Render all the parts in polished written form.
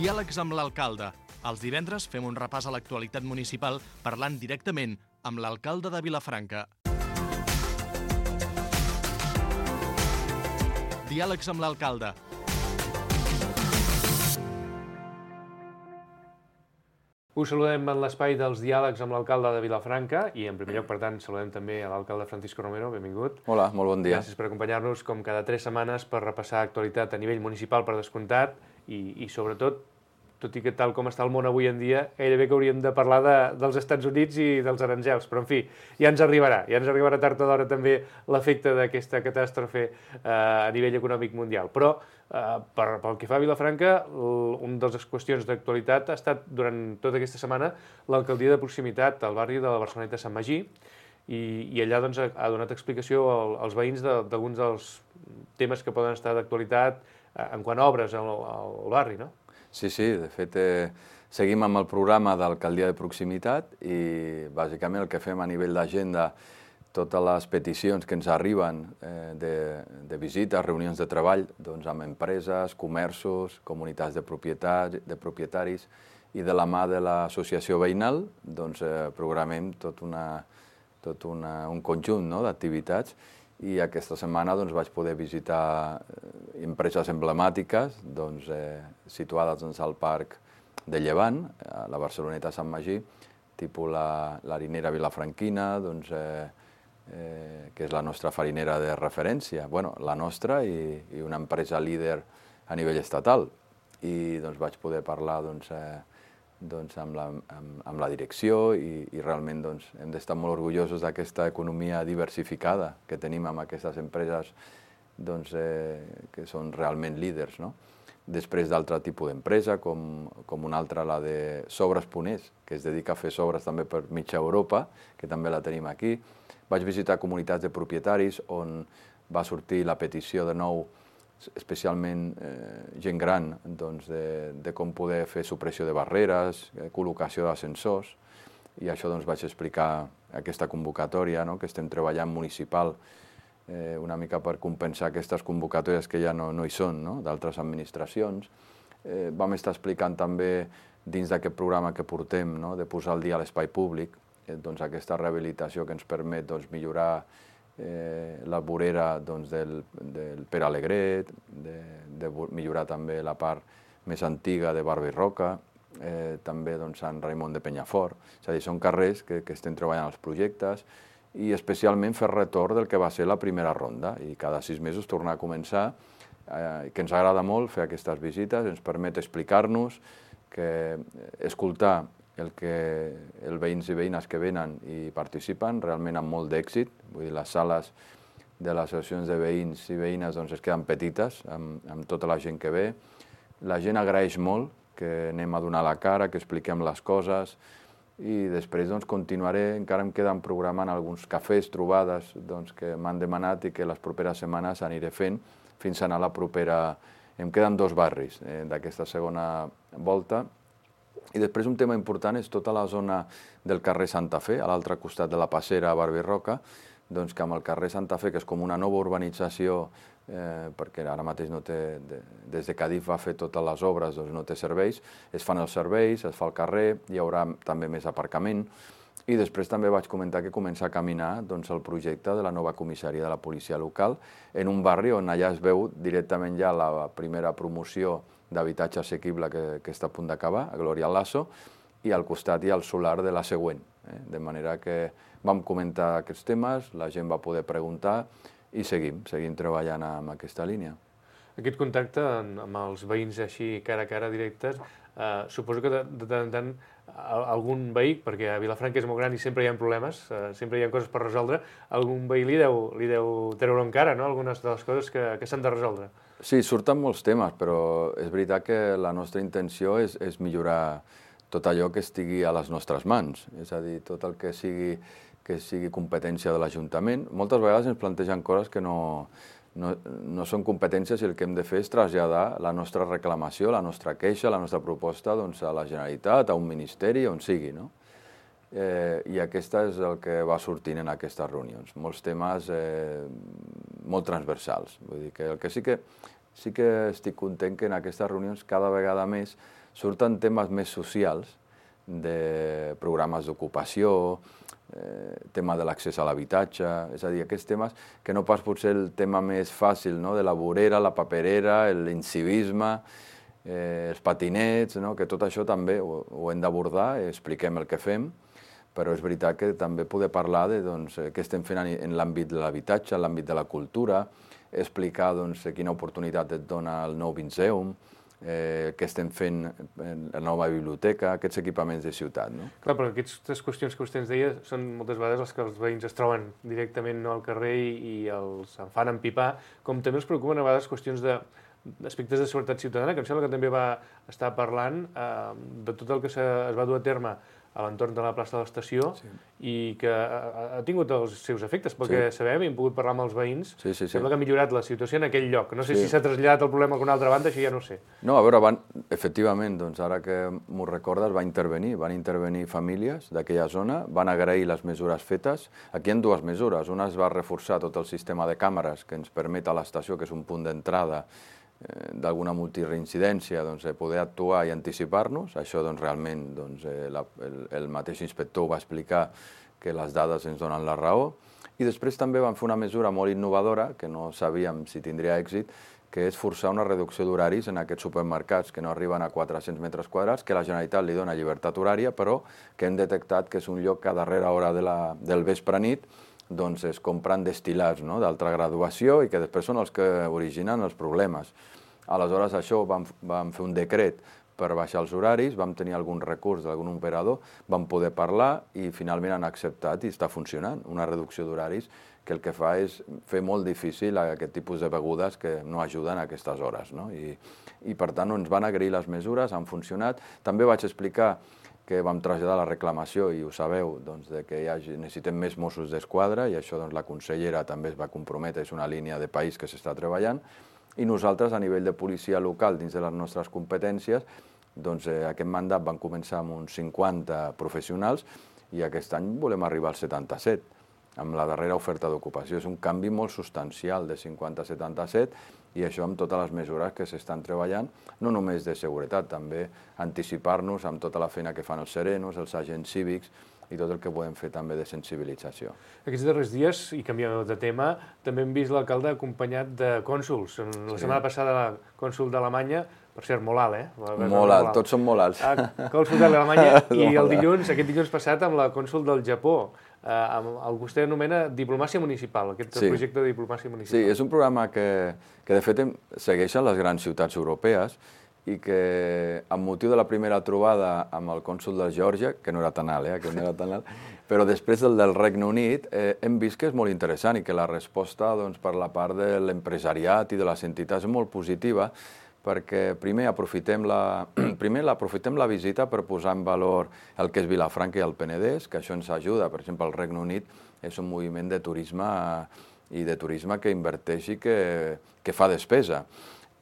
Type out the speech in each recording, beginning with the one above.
Diàlegs amb l'alcalde. Els divendres fem un repàs a l'actualitat municipal parlant directament amb l'alcalde de Vilafranca. Diàlegs amb l'alcalde. Us saludem en l'espai dels diàlegs amb l'alcalde de Vilafranca i, en primer lloc, per tant, saludem també a l'alcalde Francisco Romero. Benvingut. Hola, molt bon dia. Gràcies per acompanyar-nos, com cada 3 setmanes, per repassar actualitat a nivell municipal per descomptat i sobretot, tot i que tal com està el món avui en dia, gairebé que hauríem de parlar dels Estats Units i dels aranzels, però en fi, ja ens arribarà tard o d'hora també l'efecte d'aquesta catàstrofe a nivell econòmic mundial. Però pel que fa a Vilafranca, una de les qüestions d'actualitat ha estat durant tota aquesta setmana l'alcaldia de proximitat al barri de la Barceloneta Sant Magí i allà doncs, ha donat explicació als veïns d'alguns dels temes que poden estar d'actualitat en quant a obres al barri, no? Sí, de fet, seguim amb el programa d'alcaldia de proximitat i bàsicament el que fem a nivell d'agenda, totes les peticions que ens arriben de visites, reunions de treball doncs amb empreses, comerços, comunitats de propietaris i de la mà de l'associació veïnal doncs, programem tot un conjunt d'activitats. I aquesta setmana doncs, vaig poder visitar empreses emblemàtiques situades al Parc de Llevant, a la Barceloneta Sant Magí, tipus l'harinera vilafranquina, que és la nostra farinera de referència, la nostra i una empresa líder a nivell estatal. I vaig poder parlar amb la direcció i realment hem d'estar molt orgullosos d'aquesta economia diversificada que tenim amb aquestes empreses que són realment líders. Després d'altre tipus d'empresa, com una altra, la de Sobres Punés, que es dedica a fer sobres també per mitja Europa, que també la tenim aquí. Vaig visitar comunitats de propietaris on va sortir la petició de nou, especialment gent gran, de com poder fer supressió de barreres, col·locació d'ascensors, i això vaig explicar aquesta convocatòria que estem treballant municipal, una mica per compensar aquestes convocatòries que ja no hi són, d'altres administracions. Vam estar explicant també, dins d'aquest programa que portem, de posar al dia l'espai públic, aquesta rehabilitació que ens permet millorar la vorera del Pere Alegret, de millorar també la part més antiga de Barba i Roca, també Sant Raimon de Penyafort. És a dir, són carrers que estem treballant els projectes i especialment fer retorn del que va ser la primera ronda i cada 6 mesos tornar a començar, que ens agrada molt fer aquestes visites, ens permet explicar-nos, escoltar els veïns i veïnes que venen i participen, realment amb molt d'èxit. Vull dir, les sales de les associacions de veïns i veïnes es queden petites amb tota la gent que ve. La gent agraeix molt que anem a donar la cara, que expliquem les coses i després continuaré, encara em queden programant alguns cafès, trobades que m'han demanat i que les properes setmanes aniré fent fins a anar a la propera. Em queden 2 barris d'aquesta segona volta. I després un tema important és tota la zona del carrer Santa Fe, a l'altre costat de la Passera a Barba i Roca, que amb el carrer Santa Fe, que és com una nova urbanització, perquè ara mateix des de Cadif va fer totes les obres, no té serveis, es fan els serveis, es fa el carrer, hi haurà també més aparcament, i després també vaig comentar que comença a caminar el projecte de la nova comissaria de la policia local en un barri on allà es veu directament ja la primera promoció d'habitatge assequible que està a punt d'acabar, a Glòria Lasso, i al costat hi ha el solar de la següent. De manera que vam comentar aquests temes, la gent va poder preguntar i seguim treballant en aquesta línia. Aquest contacte amb els veïns així cara a cara directes, suposo que de tant en tant algun veí, perquè a Vilafranca és molt gran i sempre hi ha problemes, sempre hi ha coses per resoldre, algun veí li deu treure encara, algunes de les coses que s'han de resoldre. Sí, surten molts temes, però és veritat que la nostra intenció és millorar tot allò que estigui a les nostres mans, és a dir, tot el que sigui competència de l'Ajuntament. Moltes vegades ens plantegen coses que no són competències i el que hem de fer és traslladar la nostra reclamació, la nostra queixa, la nostra proposta a la Generalitat, a un ministeri, on sigui. I aquesta és el que va sortint en aquestes reunions. Molts temes molt transversals. Vull dir que el que sí que estic content que en aquestes reunions cada vegada més surten temes més socials, de programes d'ocupació, tema de l'accés a l'habitatge, és a dir, aquests temes que no pas potser el tema més fàcil, no? De la vorera, la paperera, l'incivisme, els patinets, no? Que tot això també ho hem d'abordar, expliquem el que fem, però és veritat que també poder parlar de què estem fent en l'àmbit de l'habitatge, en l'àmbit de la cultura, explicar quina oportunitat et dona el nou Vinceum, què estem fent en la nova biblioteca, aquests equipaments de ciutat. No? Clar, però aquestes qüestions que vostè ens deia són moltes vegades les que els veïns es troben directament al carrer i els en fan empipar, com també els preocupen a vegades qüestions d'aspectes de seguretat ciutadana, que em sembla que també va estar parlant de tot el que es va dur a terme a l'entorn de la plaça de l'Estació i que ha tingut els seus efectes, perquè sabem i hem pogut parlar amb els veïns, sembla que ha millorat la situació en aquell lloc. No sé si s'ha traslladat el problema a alguna altra banda, això ja no sé. No, a veure, efectivament, ara que m'ho recordes, van intervenir famílies d'aquella zona, van agrair les mesures fetes. Aquí hi ha dues mesures. Una es va reforçar tot el sistema de càmeres que ens permet a l'estació, que és un punt d'entrada d'alguna multireincidència, poder actuar i anticipar-nos. Això realment el mateix inspector va explicar que les dades ens donen la raó. I després també van fer una mesura molt innovadora, que no sabíem si tindria èxit, que és forçar una reducció d'horaris en aquests supermercats que no arriben a 400 metres quadrats, que la Generalitat li dona llibertat horària, però que hem detectat que és un lloc que a darrera hora del vespre-nit es compren destil·lats d'alta graduació i que després són els que originen els problemes. Aleshores, això vam fer un decret per baixar els horaris, vam tenir algun recurs d'algun operador, vam poder parlar i finalment han acceptat i està funcionant una reducció d'horaris que el que fa és fer molt difícil aquest tipus de begudes que no ajuden a aquestes hores. I per tant ens van agrair les mesures, han funcionat. També vaig explicar que vam traslladar la reclamació, i ho sabeu, que necessitem més Mossos d'Esquadra, i això la consellera també es va comprometre, és una línia de país que s'està treballant, i nosaltres, a nivell de policia local, dins de les nostres competències, aquest mandat van començar amb uns 50 professionals, i aquest any volem arribar als 77, amb la darrera oferta d'ocupació. És un canvi molt substancial, de 50 a 77, i això amb totes les mesures que s'estan treballant, no només de seguretat, també anticipar-nos amb tota la feina que fan els serenos, els agents cívics, i tot el que podem fer també de sensibilització. Aquests darrers dies, i canviant de tema, també hem vist l'alcalde acompanyat de cònsuls. La setmana passada, la cònsul d'Alemanya, per cert, molt alt, Molt alt, tots són molt alts. Cònsul d'Alemanya, i aquest dilluns passat amb la cònsul del Japó. El que vostè anomena diplomàcia municipal, aquest projecte de diplomàcia municipal. Sí, és un programa que de fet segueixen les grans ciutats europees i que, amb motiu de la primera trobada amb el cònsul de Geòrgia, que no era tan alt, aquest no era tan alt, però després del Regne Unit, hem vist que és molt interessant i que la resposta per la part de l'empresariat i de les entitats és molt positiva, perquè primer aprofitem la visita per posar en valor el que és Vilafranca i el Penedès, que això ens ajuda. Per exemple, el Regne Unit és un moviment de turisme que inverteix i que fa despesa.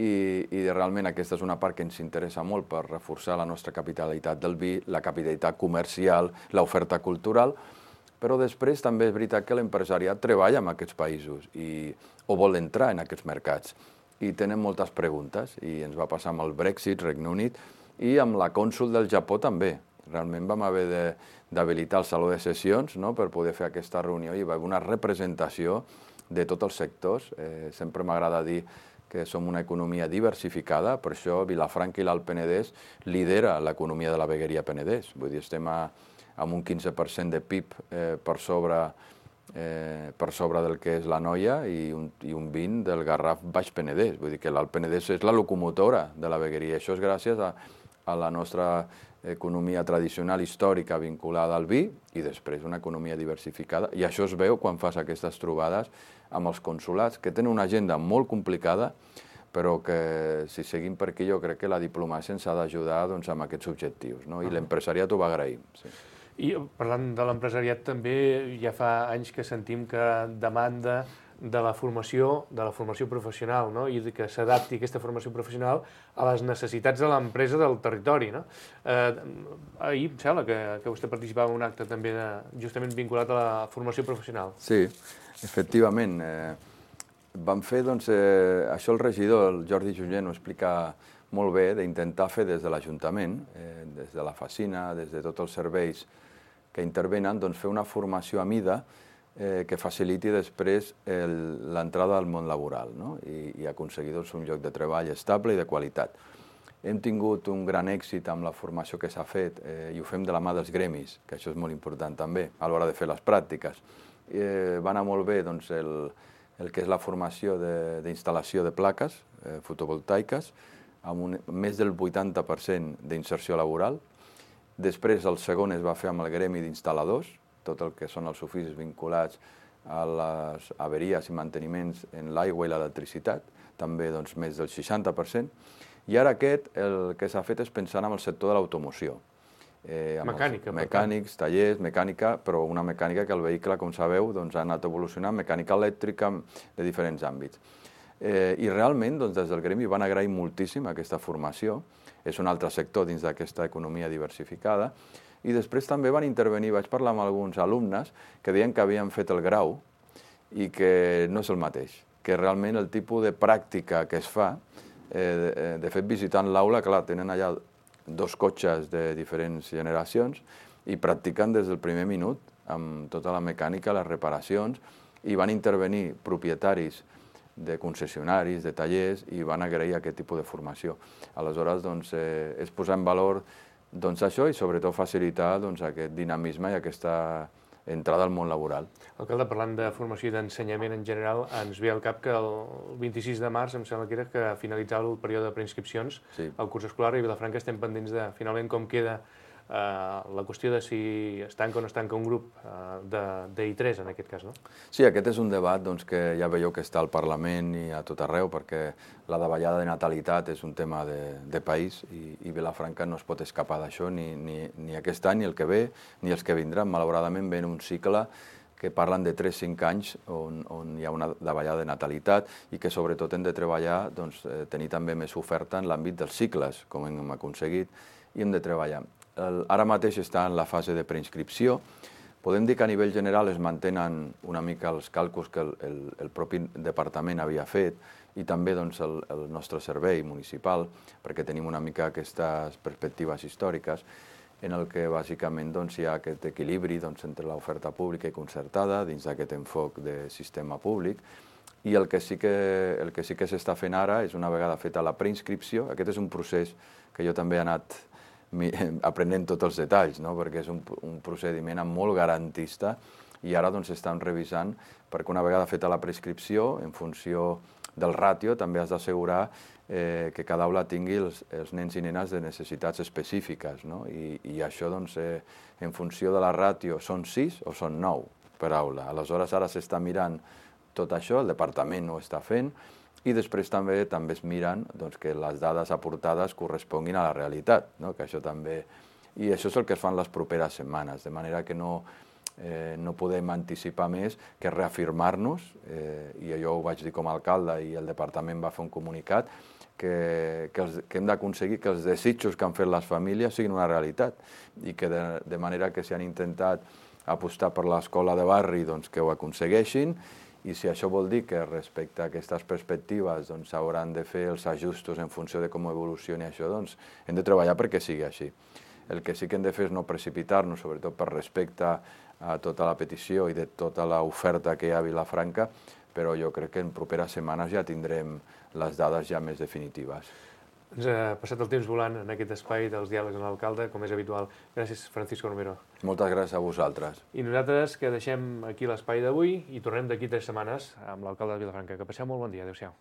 I realment aquesta és una part que ens interessa molt per reforçar la nostra capitalitat del vi, la capitalitat comercial, l'oferta cultural, però després també és veritat que l'empresariat treballa en aquests països o vol entrar en aquests mercats. I tenen moltes preguntes, i ens va passar amb el Brexit, Regne Unit, i amb la cònsul del Japó també. Realment vam haver d'habilitar el saló de sessions per poder fer aquesta reunió, i hi va haver una representació de tots els sectors. Sempre m'agrada dir que som una economia diversificada, per això Vilafranca i l'Alt Penedès lidera l'economia de la vegueria Penedès. Vull dir, estem amb un 15% de PIB per sobre del que és la Noia i un 20% del Garraf Baix Penedès. Vull dir que l'Alt Penedès és la locomotora de la vegueria. Això és gràcies a la nostra economia tradicional històrica vinculada al vi i després una economia diversificada. I això es veu quan fas aquestes trobades amb els consulats, que tenen una agenda molt complicada, però que si seguim per aquí jo crec que la diplomàcia ens ha d'ajudar amb aquests objectius, i l'empresariat ho va agrair. I parlant de l'empresariat també, ja fa anys que sentim que demanda de la formació professional, i que s'adapti aquesta formació professional a les necessitats de l'empresa del territori. Ahir em sembla que vostè participava en un acte també justament vinculat a la formació professional. Sí, efectivament. Vam fer, doncs, això el regidor, el Jordi Junyent, ho explica molt bé, d'intentar fer des de l'Ajuntament, des de la Facina, des de tots els serveis que intervenen, doncs fer una formació a mida que faciliti després l'entrada al món laboral, no? I aconseguir doncs, un lloc de treball estable i de qualitat. Hem tingut un gran èxit amb la formació que s'ha fet i ho fem de la mà dels gremis, que això és molt important també, a l'hora de fer les pràctiques. Va anar molt bé doncs, el que és la formació d'instal·lació de plaques fotovoltaiques, amb més del 80% d'inserció laboral. Després el segon es va fer amb el gremi d'instal·ladors, tot el que són els oficis vinculats a les averies i manteniments en l'aigua i l'electricitat, també doncs, més del 60%. I ara el que s'ha fet és pensar en el sector de l'automoció. Mecànica. Mecànics, tallers, mecànica, però una mecànica que el vehicle, com sabeu, doncs, ha anat evolucionant, mecànica elèctrica de diferents àmbits. I realment, doncs, des del gremi van agrair moltíssim aquesta formació. És un altre sector dins d'aquesta economia diversificada. I després també van intervenir, vaig parlar amb alguns alumnes que deien que havien fet el grau i que no és el mateix, que realment el tipus de pràctica que es fa, de fet visitant l'aula, clar, tenen allà 2 cotxes de diferents generacions i practiquen des del primer minut amb tota la mecànica, les reparacions, i van intervenir propietaris de concessionaris, de tallers, i van agrair aquest tipus de formació. Aleshores, doncs, és posar en valor això i sobretot facilitar aquest dinamisme i aquesta entrada al món laboral. Alcalde, parlant de formació i d'ensenyament en general, ens ve al cap que el 26 de març, em sembla que era, que finalitzava el període de preinscripcions al curs escolar, i a Vilafranca estem pendents de finalment com queda la qüestió de si es tanca o no es tanca un grup d'I3, en aquest cas, no? Sí, aquest és un debat que ja veieu que està al Parlament i a tot arreu, perquè la davallada de natalitat és un tema de país i Vilafranca no es pot escapar d'això ni aquest any, ni el que ve, ni els que vindran. Malauradament ven un cicle que parlen de 3-5 anys on hi ha una davallada de natalitat i que sobretot hem de treballar, tenir també més oferta en l'àmbit dels cicles, com hem aconseguit, i hem de treballar. Ara mateix està en la fase de preinscripció. Podem dir que a nivell general es mantenen una mica els càlculs que el propi departament havia fet i també el nostre servei municipal, perquè tenim una mica aquestes perspectives històriques en el que bàsicament hi ha aquest equilibri entre l'oferta pública i concertada dins d'aquest enfoc de sistema públic. I el que sí que s'està fent ara és, una vegada feta la preinscripció, aquest és un procés que jo també he anat aprenent tots els detalls, perquè és un procediment molt garantista i ara estan revisant perquè una vegada feta la prescripció, en funció del ràtio, també has d'assegurar que cada aula tingui els nens i nenes de necessitats específiques. I això, en funció de la ràtio, són 6 o són 9 per aula. Aleshores, ara s'està mirant tot això, el departament ho està fent, i després també es miren que les dades aportades corresponguin a la realitat, que això també... I això és el que es fa en les properes setmanes, de manera que no podem anticipar més que reafirmar-nos, i jo ho vaig dir com a alcalde i el departament va fer un comunicat, que hem d'aconseguir que els desitjos que han fet les famílies siguin una realitat i que de manera que si han intentat apostar per l'escola de barri que ho aconsegueixin. I si això vol dir que respecte a aquestes perspectives s'hauran de fer els ajustos en funció de com evolucioni això, hem de treballar perquè sigui així. El que sí que hem de fer és no precipitar-nos, sobretot per respecte a tota la petició i de tota l'oferta que hi ha a Vilafranca, però jo crec que en properes setmanes ja tindrem les dades ja més definitives. Ens ha passat el temps volant en aquest espai dels diàlegs amb l'alcalde, com és habitual. Gràcies, Francisco Romero. Moltes gràcies a vosaltres. I nosaltres que deixem aquí l'espai d'avui i tornem d'aquí 3 setmanes amb l'alcalde de Vilafranca. Que passeu molt bon dia. Adéu-siau.